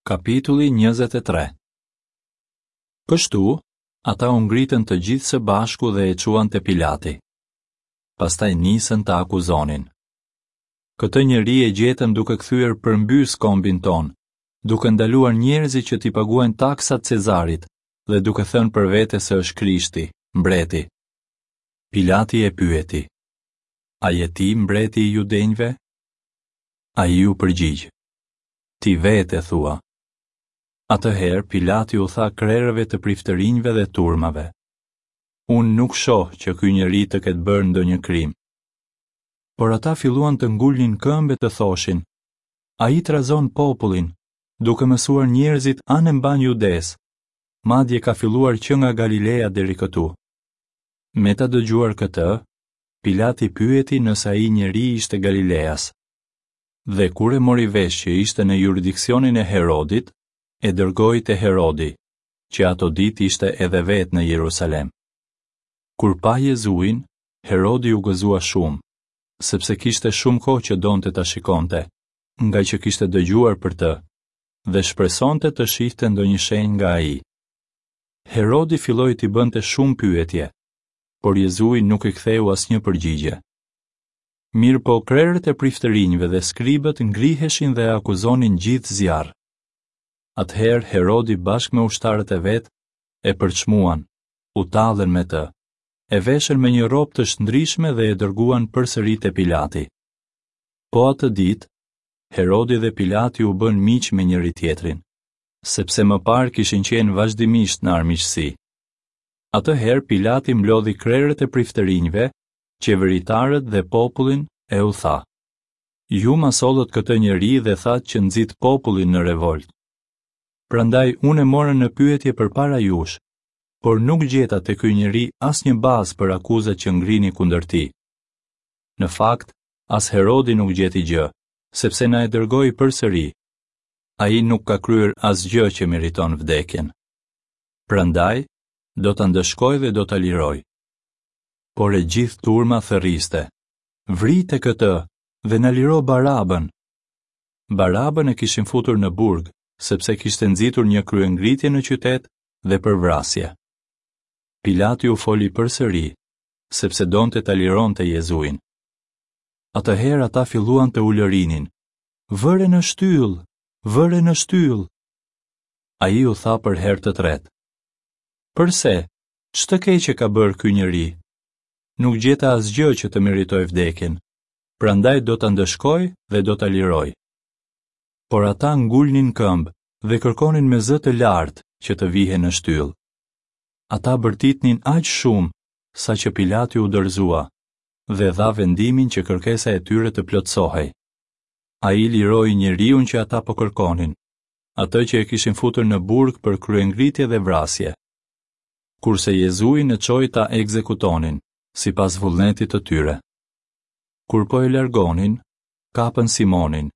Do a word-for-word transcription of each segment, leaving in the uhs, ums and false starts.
Kapitulli njëzet e tre. Kështu, ata u ngritën të gjithë së bashku dhe e çuan te Pilati. Pastaj nisën ta akuzonin. Këtë njeri e gjetëm duke kthyer përmbys kombin tonë, duke ndaluar njerëzit që t'i paguajnë taksat Cezarit dhe duke thënë për vete se është Krishti, mbreti. Pilati e pyeti: A je ti mbreti i judenjve? Ai iu përgjigj: Ti vetë e thua. Atëherë Pilati u tha krerëve të priftërinjve dhe turmave: Unë nuk shoh që ky njeri të ketë bërë ndonjë krim. Por ata filluan të ngulnin këmbë e të thoshin: Ai trazon popullin, duke mësuar njerëzit anembanë Judesë, madje ka filluar që nga Galilea deri këtu. Me ta dëgjuar këtë, Pilati pyeti nëse ai njeri ishte Galileas. Dhe kur e mori vesh që ishte në juridiksionin e Herodit, e dërgoi te Herodi, që ato ditë ishte edhe vetë në Jerusalem. Kur pa Jezuin, Herodi u gëzua shumë, sepse kishte shumë kohë që donte ta shikonte, nga që kishte dëgjuar për të, dhe shpresonte të shihte ndonjë shenjë nga ai. Herodi filloi t'i bënte shumë pyetje, por Jezui nuk i ktheu asnjë përgjigje. Mirëpo krerët e priftërinjve dhe skribët ngriheshin dhe e akuzonin gjithë zjarr. Atëherë Herodi bashkë me ushtarët e vet e përçmuan, u tallën me të, e veshën me një rrobë të shndrishme dhe e dërguan përsëri te Pilati. Po atë ditë, Herodi dhe Pilati u bënë miq me njëri tjetrin, sepse më parë kishin qenë vazhdimisht në armiqësi. Atëherë Pilati mblodhi krerët e priftërinjve, qeveritarët dhe popullin e u tha: Ju ma sollët këtë njeri dhe thatë që nxit popullin në revolt. Prandaj unë e mora në pyetje përpara jush, por nuk gjeta te ky njeri asnjë bazë për akuzat që ngrini kundër tij. Në fakt, as Herodi nuk gjeti gjë, sepse na e dërgoi përsëri. Ai nuk ka kryer asgjë që meriton vdekjen. Prandaj, do ta ndëshkoj dhe do ta liroj. Por e gjithë turma thërriste: Vrite këtë dhe na liro Barabën. Barabën e kishin futur në burg, sepse kishte nxitur një kryengritje në qytet dhe për vrasje. Pilati u foli përsëri, sepse donte ta lironte Jezuin. Atëherë ata filluan të ulërinin: Vëre në shtyll, vëre në shtyll. Ai u tha për herë të tretë: Përse, ç'të keqe ka bërë ky njeri? Nuk gjeta asgjë që të meritoj vdekjen, prandaj do ta ndëshkoj dhe do ta liroj. Por ata ngulnin këmbë dhe kërkonin me zë të lartë që të vihen në shtyll. Ata bërtitnin aq shumë sa që Pilati u dorëzua dhe dha vendimin që kërkesa e tyre të plotësohej. Ai liroi njeriun që ata po kërkonin, atë që e kishin futur në burg për kryengritje dhe vrasje. Kurse Jezuin e çoi ta ekzekutonin, sipas vullnetit të tyre. Kur po e largonin, kapën Simonin,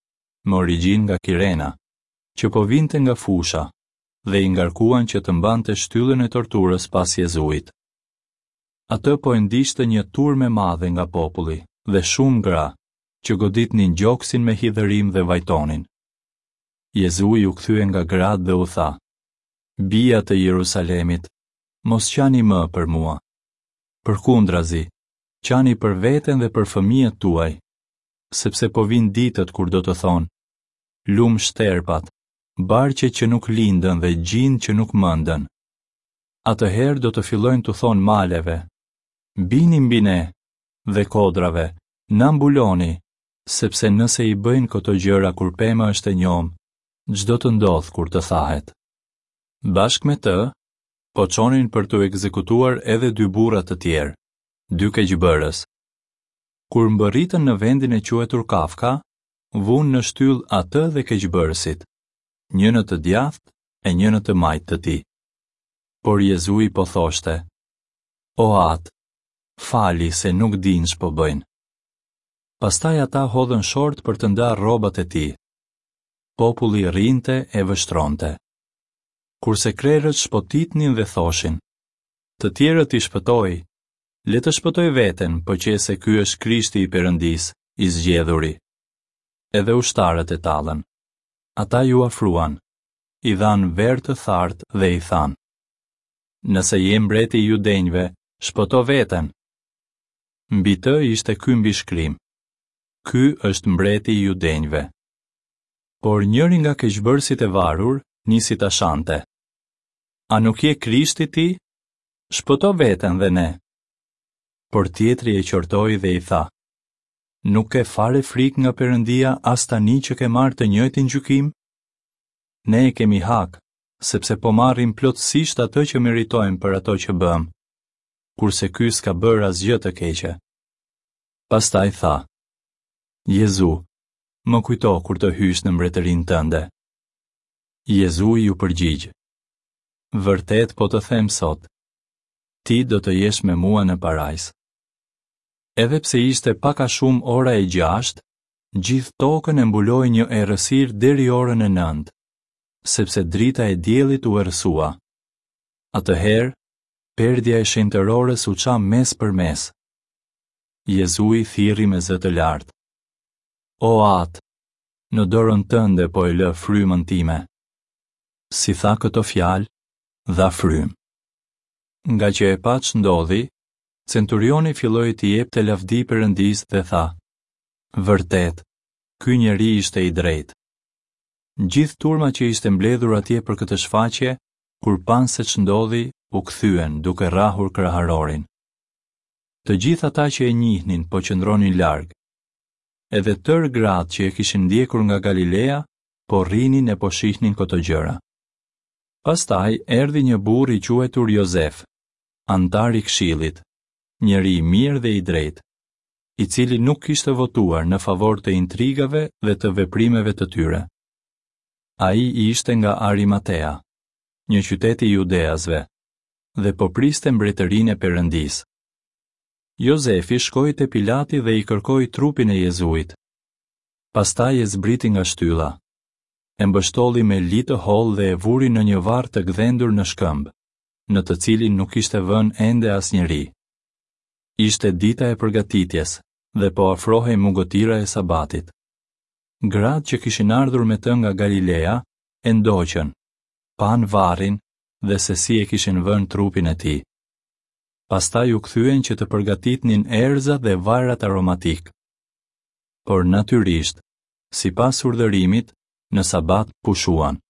me origjinë nga Kirena, që po vinte nga fusha, dhe i ngarkuan që të mbante shtyllën e torturës pas Jezuit. Atë po e ndiqte një turmë e madhe nga populli dhe shumë gra, që goditnin gjoksin me hidhërim dhe vajtonin. Jezui u kthye nga gratë dhe u tha: Bija të Jerusalemit, mos qani më për mua. Përkundrazi, qani për veten dhe për fëmijët tuaj, sepse po vinë ditët kur do të thonë: Lum shterpat, barqe që nuk lindën dhe gjinë që nuk mëndën. Atëherë do të fillojnë t'u thonë maleve: Bini mbi ne, dhe kodrave: Na mbuloni, sepse nëse i bëjnë këto gjëra kur pema është e njomë, ç'do të ndodhë kur të thahet. Bashkë me të, po çonin për t'u ekzekutuar edhe dy burra të tjerë, dy keqbërës. Kur mbërritën në vendin e quajtur Kafka, vunë në shtyll atë dhe keqbërësit, një në të djathtë e një në të majtë të tij. Por Jezui po thoshte: O Atë, fali se nuk dinë ç'po bëjnë. Pastaj ata hodhën short për të ndarë rrobat e tij. Populli rrinte e vështronte. Kurse krerët shpotitnin dhe thoshin: Të tjerët i shpëtoi, le të shpëtoj veten, po qe se ky është Krishti i Perëndisë, i zgjedhuri. Edhe ushtarët e tallën. Ata ju afruan, i dhanë verë të thartë dhe i thanë: Nëse je mbreti i judenjve, shpëto veten. Mbi të ishte ky mbishkrim: Ky është mbreti i judenjve. Por njëri nga keqbërësit e varur nisi ta shante: A nuk je Krishti ti? Shpëto veten dhe ne. Por tjetri e qortoi dhe i tha: Nuk ke fare frikë nga Perëndia as tani që ke marrë të njëjtin gjykim? Ne e kemi hak, sepse po marrim plotësisht atë që meritojmë për ato që bëmë, kurse ky s'ka bërë asgjë të keqe. Pastaj tha: Jezu, më kujto kur të hysh në mbretërinë tënde. Jezui iu përgjigj: Vërtet po të them sot, ti do të jesh me mua në parajsë. Edhe pse ishte pak a shumë ora e gjashtë, gjithë tokën e mbuloi një errësirë deri orën e nëntë, sepse drita e diellit u errësua. Atëherë, perdja e shenjtërores u ça mes për mes. Jezui thirri me zë të lartë: O Atë, në dorën tënde po e lë frymën time. Si tha këto fjalë, dha frymë. Nga që e pa ç'ndodhi, centurioni filloi t'i jepte lavdi Perëndisë dhe tha: Vërtet, ky njeri ishte i drejtë. Gjithë turma që ishte mbledhur atje për këtë shfaqje, kur panë se ç'ndodhi, u kthyen duke rrahur kraharorin. Të gjithë ata që e njihnin po qëndronin larg. Edhe tërë gratë që e kishin ndjekur nga Galilea po rrinin e po shihnin këto gjëra. Pastaj erdhi një burrë i quajtur Jozef, antar i këshillit, njeri i mirë dhe i drejtë, i cili nuk kishte votuar në favor të intrigave dhe të veprimeve të tyre. Ai ishte nga Arimatea, një qytet i Judeasve, dhe po priste mbretërinë e Perëndisë. Jozefi shkoi te Pilati dhe i kërkoi trupin e Jezuit. Pastaj e zbriti nga shtylla, e mbështolli me li të hollë dhe e vuri në një varr të gdhendur në shkëmb, në të cilin nuk ishte vënë ende asnjeri. Ishte dita e përgatitjes dhe po afrohej mugotira e sabatit. Gratë që kishin ardhur me të nga Galilea e ndoqën, panë varrin dhe se si e kishin vënë trupin e tij. Pastaj u kthyen që të përgatitnin erëza dhe vajrat aromatik. Por natyrisht, sipas urdhërimit, në sabat pushuan.